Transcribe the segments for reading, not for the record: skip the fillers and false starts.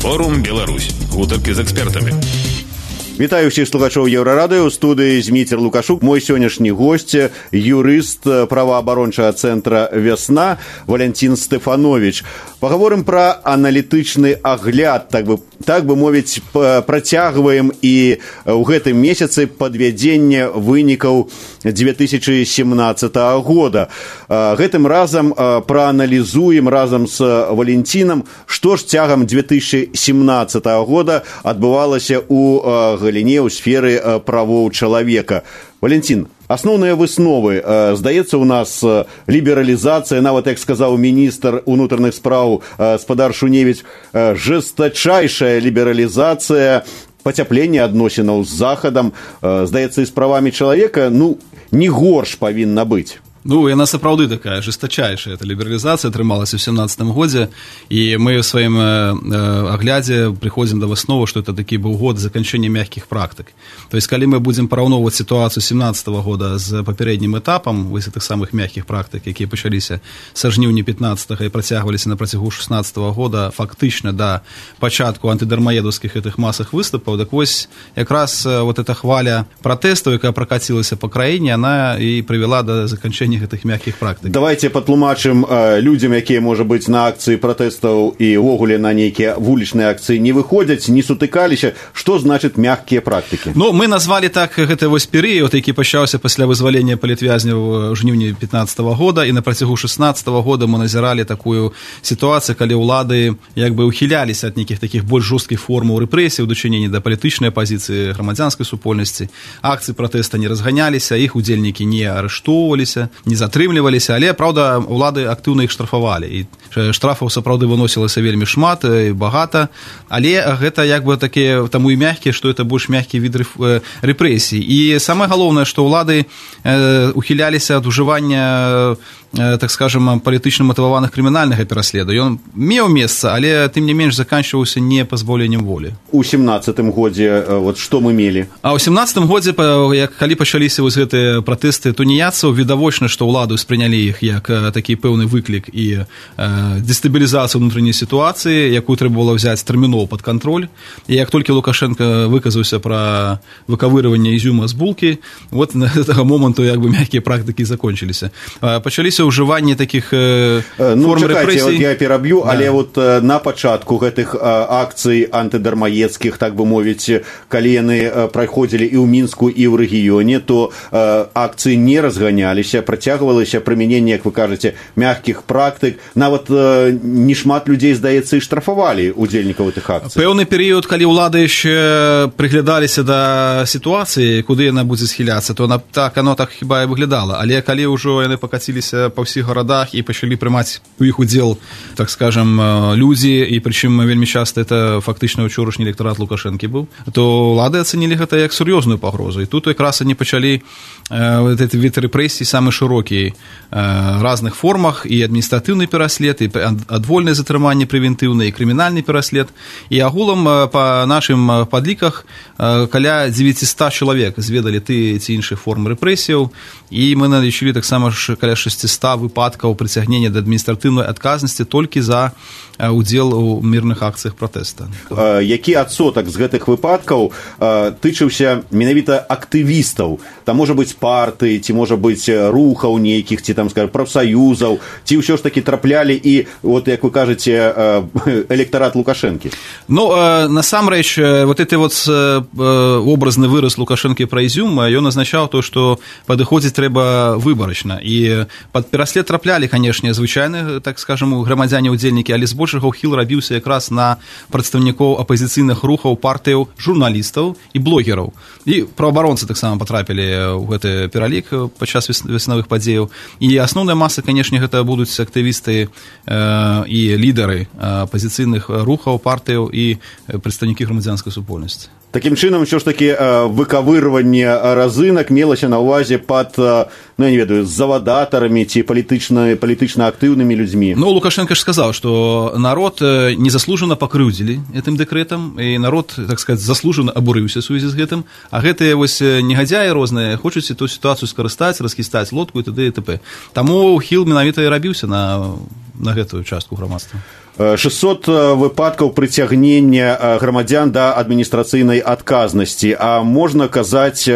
Форум Беларусь. Гутаркі з экспертамі. Вітаю ўсіх слухачоў Еўрарадыё. У студыі Зміцер Лукашук. Мой сённяшні госць, юрыст праваабарончага цэнтра «Вясна» Валянцін Стэфанович. Пагаворым пра аналітычны агляд, так бы мовіць, працягваем і ў гэтым месяцы падвядзенне вынікаў 2017 года. Гэтым разам прааналізуем разам з Валянцінам, што ж цягам 2017 года адбывалася ў галіне ў сферы правоў чалавека. Валянцін, асноўныя высновы. Здаецца, у нас лібералізацыя, нават, як сказаў міністр унутраных спраў спадар Шуневіч, жестачайшая лібералізацыя, пацяпленне адносінаў з Захадам. Здаецца, і з правамі чалавека, не горш павінна быць. Яна сапраўды такая жестачайшая. Эта лібералізацыя атрымалася ў 2017 годзе, і мы ў сваім аглядзе прыходзім да высновы, што это такі быў год заканчэння мягкіх практык. То есть, калі мы будзем параўноўваць сітуацыю 2017 года з папярэднім этапам вось гэтых самых мягкіх практык, якія пачаліся са жніўня 15 і працягваліся на працягу 16 года, фактычна да пачатку антыдармаедаўскіх гэтых масах выступаў, так вось якраз вот эта хваля пратэстаў, якая пракацілася па краіне, она і прывяла да заканчэння гэтых мягкіх практык. Давайте патлумачым людзям, якія, можа быць, на акцыі пратэстаў і ўвогуле на нейкія вулічныя акцыі не выходзяць, не сутыкаліся, што значыць мягкія практыкі? Мы назвалі так гэты вось перыяд, які пачаўся пасля вызвалення палітвязняў ў жніўні 15 года, і на працягу 16 года мы назіралі такую сітуацыю, калі ўлады як бы ухіляліся ад нейкіх такіх больш жорсткіх формаў рэпрэсій у дачыненні да палітычнай апазіцыі грамадзянскай супольнасці. Акцыі пратэста не разганяліся, іх удзельнікі не арыштоўваліся, не затрымліваліся, але, праўда, улады актыўна іх штрафавалі. І штрафаў сапраўды выносілася вельмі шмат і багата, але гэта як бы такія, таму і мягкія, што это больш мягкі від рэпрэсій. І самае галоўнае, што ўлады ухіляліся ад ужывання, так скажем, палітычна матываваных крымінальнага пераследу. Ён меў месца, але тым не менш заканчваўся не пазбаўленнем волі. У 17 годзе вот што мы мелі? А ў 17 годзе, калі пачаліся вось гэтыя пратэсты туніяцаў, відавочна, што ўлады ўспрынялі іх як такі пэўны выклік і дэстабілізацыю ўнутранняй сітуацыі, якую трэба было ўзяць тэрмінова пад кантроль. І як толькі Лукашенко выказаўся пра выкавырыванне ізюма з булкі, вот на гэтага моманту як бы мягкія практыкі закончыліся. Пачаліся ўжыванне такіх форм рэпрэсій. Я пераб'ю, але вот на пачатку гэтых акцый антыдармаедскіх, так бы мовіць, калі яны праходзілі і ў Мінску, і ў рэгіёне, то акцыі не разганяліся, працягвалася прымяненне, як вы кажаце, мягкіх практык. Нават не шмат людзей, здаецца, і штрафавалі удзельнікаў гэтых акцый. Пэўны перыяд, калі ўлады яшчэ прыглядаліся да сітуацыі, куды яна будзе схіляцца, то оно так хіба і выглядала. Але калі ўжо яны пакаціліся па ўсіх гарадах і пачалі прымаць у іх удзел, так скажем, людзі, і прычым вельмі часта это фактычна ўчорашні электарат Лукашэнкі быў, то ўлады ацэнілі гэта як сур'ёзную пагрозу. І тут якраз они пачалі гэты від рэпрэсій самы шырокі разных формах, і адміністратыўны пераслед, і адвольнае затрыманне прэвентыўнае, і крымінальны пераслед. І агулам па нашым падліках каля 900 чалавек зведалі ты ці іншых форм рэпрэсіяў, і мы налічылі таксама каля 600 выпадкаў прыцягнення да адміністратыўнай адказнасці толькі за удзел у мірных акцыях пратэста. Які адсотак з гэтых выпадкаў тычыўся менавіта актывістаў? Там можа быць партыі, ці можа быць рухаў нейкіх, ці там, скажем, прафсаюзаў, ці ўсё ж такі траплялі і, вот як вы кажаце, электарат Лукашэнкі? Насамрэч, вот гэты вот образны выраз Лукашэнкі пра ізюм, ён азначаў то, што падыходзіць трэба выбарачна. І пад пераслед траплялі, канешне, звычайны, так скажем, грамадзяне-удзельнікі, але збольшага ўхіл рабіўся якраз на прадстаўнікоў апазіцыйных рухаў, партыяў, журналістаў і блогераў. І праваабаронцы таксама патрапілі ў гэты пералік падчас веснавых падзеяў. І асноўная маса, канешне, гэта будуць актывісты і лідары апазіцыйных рухаў, партыяў і прадстаўнікі грамадзянскай супольнасці. Такім чынам, ўсё ж такі выкавырванне разынак мелася на ўвазе пад, я не ведаю, завадатарамі ці палітычна актыўнымі людзьмі. Лукашенко ж сказаў, што народ незаслужана пакрыўдзілі гэтым дэкрэтам, і народ, так сказаць, заслужана абурыўся ў сувязі з гэтым, а гэтыя вось негадзяі розныя хочуць эту сітуацыю скарыстаць, расхістаць лодку і т.д. і т.п. Таму ўхіл менавіта і рабіўся на на гэтую частку грамадства. 600 выпадкаў прыцягнення грамадзян да адміністрацыйнай адказнасці. А можна казаць,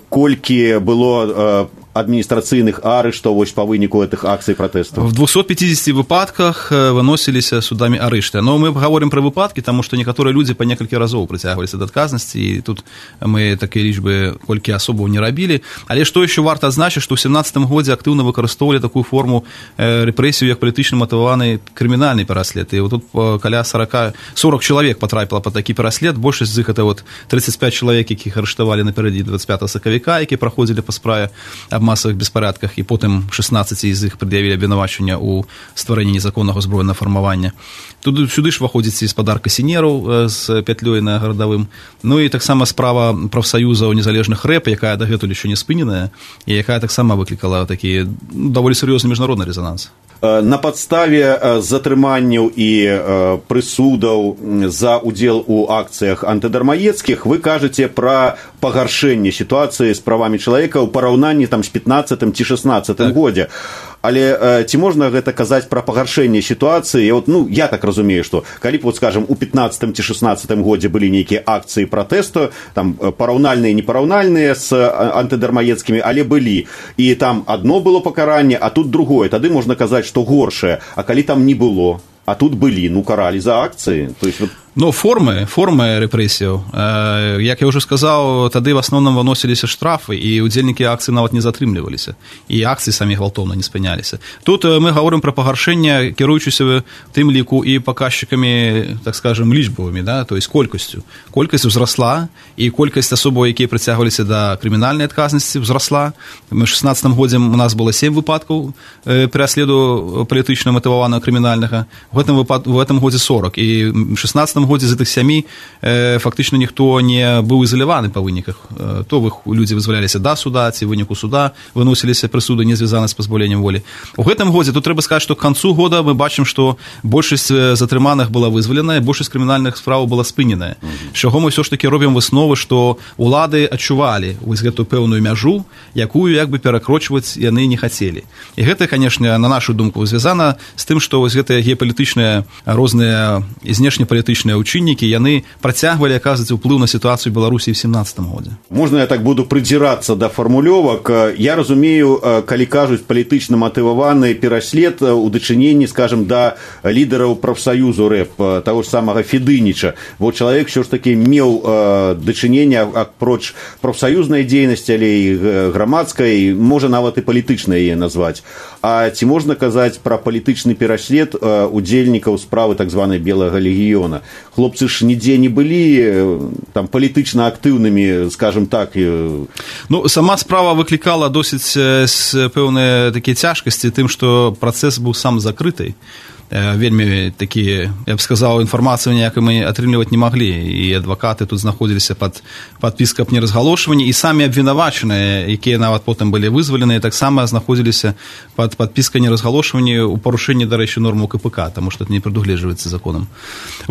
колькі было административных арештов по вынику этих акций протестов? В 250 выпадках выносились судами арешты. Но мы говорим про выпадки, потому что некоторые люди по несколько разов притягивались до отказности, и тут мы такие лічбы колькі особо не робили. Але что еще варто отзначить, что в 2017 году активно выкарыстоўвалі такую форму репрессию, как політычна матываваны криминальный пераслед. И вот тут каля 40 человек потрапило под такой пераслед, большасць з іх это вот 35 человек, якіх арыштавалі наперадзе 25 сакавіка, які праходзілі па справе аб масавых беспарадках, і потым 16 з іх прад'явілі абвінавачванне ў стварэнні незаконнага збройнага фармавання. Тут сюды ж выходзіць і спадар Касінераў з пятлёй на гарадавым. Ну і таксама справа прафсаюзаў незалежных рэп, якая дагэтуль еще не спыненая, і якая таксама выклікала такі даволі сур'ёзны міжнародны резонанс. На падставе затрыманняў і прысудаў за удзел у акцыях антыдармаедскіх вы кажаце пра пагаршэнне сітуацыі з правамі чалавека ў параўнанні там з 15 ці 16 годзе. Але ці можна гэта казаць пра пагаршэнне сітуацыі? Вот, ну, я так разумею, што калі б, вот, скажем, у 15 ці 16 годзе былі нейкія акцыі пратэсту, там параўнальныя і непараўнальныя з антыдармаедскімі, але былі. І там адно было пакаранне, а тут другое. Тады можна казаць, што горшае. А калі там не было, а тут былі, ну, каралі за акцыі. То есть, вот... Ну, формы рэпрэсіяў. Як я ўжо сказаў, тады в асноўным выносіліся штрафы, і удзельнікі акцый нават не затрымліваліся. І акцыі самі гвалтоўна не спыняліся. Тут мы гаворым пра пагаршэнне, кіруючыся тым ліку і паказчыкамі, так скажем, лічбавымі, да? То есть колькасцю. Колькасць узрасла, і колькасць асобаў, якія прыцягваліся да крымінальнай адказнасці, узрасла. Мы в 16 годзе у нас было 7 выпадкаў пераследу палітычна матываванага крымінальнага. В этом годзе 40. І в 16 годзе з гэтых 7 фактычна ніхто не быў ізаляваны па выніках. То людзі вызваляліся да суда, ці выніку суда выносіліся прысуды, не звязаны з пазбаўленнем волі. У гэтым годзе тут трэба сказаць, што к канцу года мы бачым, што большасць затрыманых была вызваленая, большасць крымінальных справ была спыненая. З чаго мы ўсё ж такі робім высновы, што улады адчувалі вось гэтую пэўную мяжу, якую як бы перакрочваць яны не хацелі. І гэта, канешне, на нашу думку звязана з тым, што вось гэтыя геапалітычныя розныя знешнепалітычныя учыннікі, яны працягвалі аказваць уплыў на сітуацыю Беларусі ў 17 годзе. Можна я так буду прыдзірацца да фармулёвак? Я разумею, калі кажуць палітычна матываваны пераслед у дачыненні, скажем, да лідараў прафсаюзу рэп, таго ж самага Федыніча. Бо чалавек ўсё ж такі меў дачыненне апроч прафсаюзнай дзейнасці, але і грамадскай, можа нават і палітычнай яе назваць. А ці можна казаць пра палітычны пераслед удзельнікаў справы так званай белага легіёна? Хлопцы ж нідзе не былі там палітычна актыўнымі, скажем так. Ну, сама справа выклікала досыць пэўныя такія цяжкасці тым, што працэс быў сам закрыты. Вельмі такія, я б сказаў, інфармацыю ніякай мы атрымліваць не маглі, і адвакаты тут знаходзіліся пад падпіскай аб неразгалошванні, і самі абвінавачаныя, якія нават потым былі вызваленыя, таксама знаходзіліся пад падпіскай неразгалошванні ў парушэнні, дарэчы, нормаў КПК, таму што это не прадугледжваецца законам.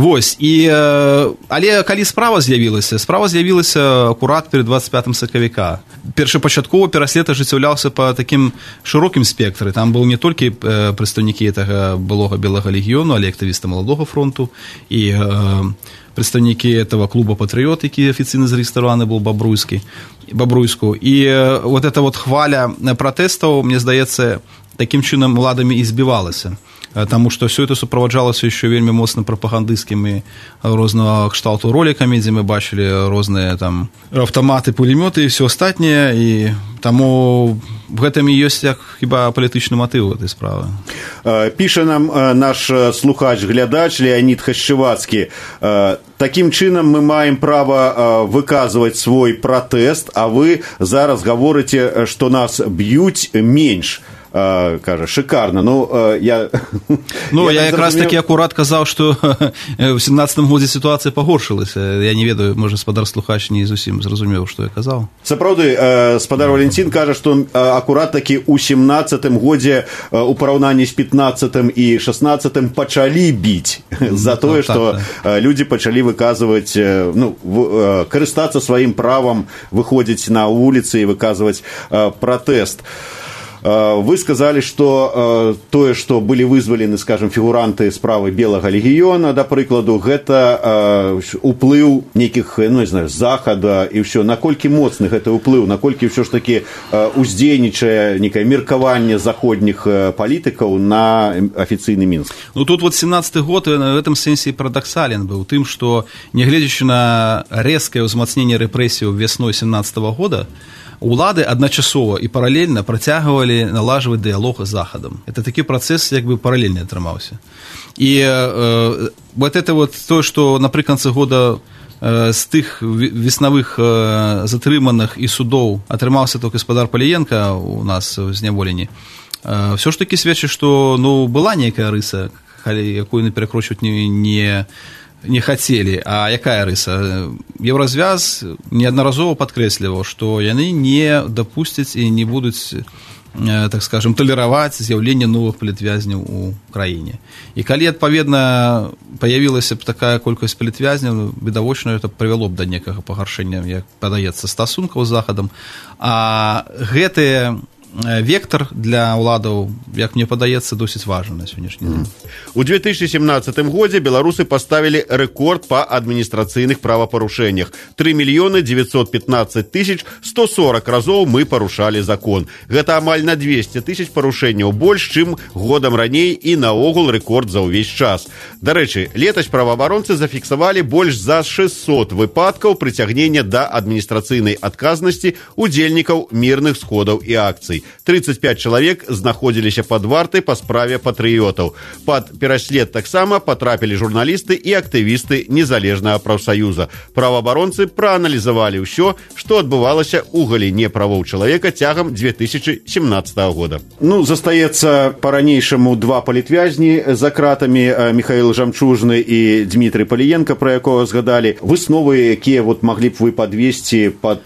Вось, але калі справа з'явілася акурат перад 25 сакавіка. Першапачаткова пераслед ажыццяўляўся па такім шырокім спектры, там быў не толькі прадстаўнікі гэтага былога белага легіёну, але актывісты маладога фронту і прадстаўнікі этого клуба «Патрыёт», які афіцыйна зарэгістраваны быў Бабруйску. І вот эта вот хваля пратэстаў, мне здаецца, такім чынам уладамі і збівалася. Таму што ўсё это суправаджалася яшчэ вельмі моцна прапагандысцкімі рознага кшталту ролікамі, дзе мы бачылі розныя там аўтаматы, пулемёты і ўсё астатняе, і таму в гэтым і ёсць як хіба палітычны матыў гэтай справы. Піша нам наш слухач-глядач Леонид Хашчевацкі: такім чынам мы маем права выказваць свой пратэст, а вы зараз гаворыце, што нас б'юць менш. Кажа, шикарно. Я якраз таки акурат казаў, што в 17 годзе сітуацыя пагоршылася. Я не ведаю, можа, спадар слухач не зусім зразумеў, што я казаў. Сапраўды, спадар Валентин кажа, што акурат таки у 17 годзе у параўнанні з 15 і 16 пачалі біць за тое, што людзі пачалі выказваць, карыстацца сваім правам выходзіць на вуліцы і выказваць пратэст. Вы сказали, что тое, што былі вызвалены, скажем, фігуранты справы Белага легіёна, да прыкладу, гэта уплыў нейкіх, ну, не знаю, захада і ўсё. Наколькі моцны гэты ўплыў, наколькі ўсё ж такі уздзейнічае некае меркаванне заходніх палітыкаў на афіцыйны Мінск? Ну, тут вот 17-й год в этом сэнсе парадоксален быў тым, што, нягледзячы на рэзкае ўзмацненне рэпрэсіяў вясной 17-го года, улады адначасова і паралельна працягвалі налажваць дыялог з захадам. Это такі працэс як бы паралельны атрымаўся. І вот это вот то, што напрыканцы года з тых веснавых затрыманых і судоў атрымаўся той гаспадар Паліенка у нас у зняволенні, все ж таки сведчыць, што ну, была нейкая рыса, якую не перакручваць не хацелі. А якая рыса? Еўразвяз неаднаразова падкрэсліваў, што яны не дапусцяць і не будуць, так скажем, талераваць з'яўленне новых палітвязняў у краіне. І калі, адпаведна, паявілася б такая колькасць палітвязняў, відавочна, это прывяло б да некага пагаршэння, як падаецца, стасункаў з захадам. А гэтыя вектор для ўладаў, як мне падаецца, досыць важны на сённяшні дзень. У 2017 годзе беларусы паставілі рэкорд па адміністрацыйных правапарушэннях. 3 915 140 разоў мы парушалі закон. Гэта амаль на 200 000 парушэнняў больш, чым годам раней і наогул рэкорд за ўвесь час. Дарэчы, летась праваабаронцы зафіксавалі больш за 600 выпадкаў прыцягнення да адміністрацыйнай адказнасці удзельнікаў мірных сходаў і акцый. 35 чалавек знаходзіліся пад вартай па справе патрыётаў. Пад пераслед таксама патрапілі журналісты і актывісты незалежнага прафсаюза. Праваабаронцы прааналізавалі ўсё, што адбывалася ў галіне правоў чалавека цягам 2017 года. Ну, застаецца па-ранейшаму два палітвязні за кратамі, Михаил Жамчужны і Дмітрый Паліенка, пра якога згадалі. Высновы, якія вот маглі б вы падвесці пад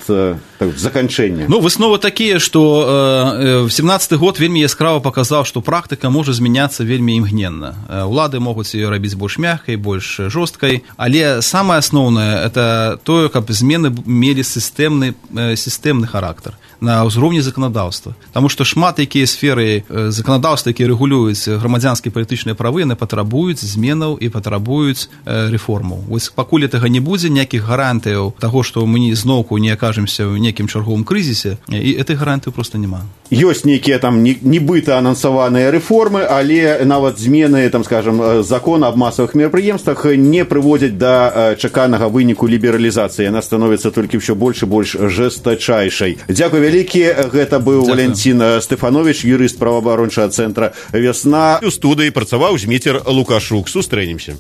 заканчэнне? Ну, высновы такія, што 17-й год вельмі яскрава паказаў, што практыка можа змяняцца вельмі імгненна. Улады могуць ее рабіць больш мяккай, больш жорсткай, але самае асноўнае это тое, каб змены мелі сістэмны характар на ўзроўні заканадаўства. Таму што шмат якія сферы заканадаўства, якія рэгулююць грамадзянскія палітычныя правы, яны патрабуюць зменаў і патрабуюць рэформаў. Вось пакуль гэтага не будзе, ніякіх гарантыяў таго, што мы зноўку не акажемся ў некім чарговым крызісе, і этой гарантыі проста няма. Ёсць нейкія там нібыта анансаваныя рэформы, але нават змены, там, скажем, закона аб масавых мерапрыемствах не прыводзяць да чаканага выніку лібералізацыі. Яна становіцца толькі ўсё больш і больш жэстачайшай. Дзякуй вялікі. Гэта быў Валянцін Стэфановіч, юрыст праваабарончага цэнтра «Вясна». У студыі працаваў Зміцер Лукашук. Сустрэнемся.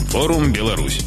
Форум Беларусь.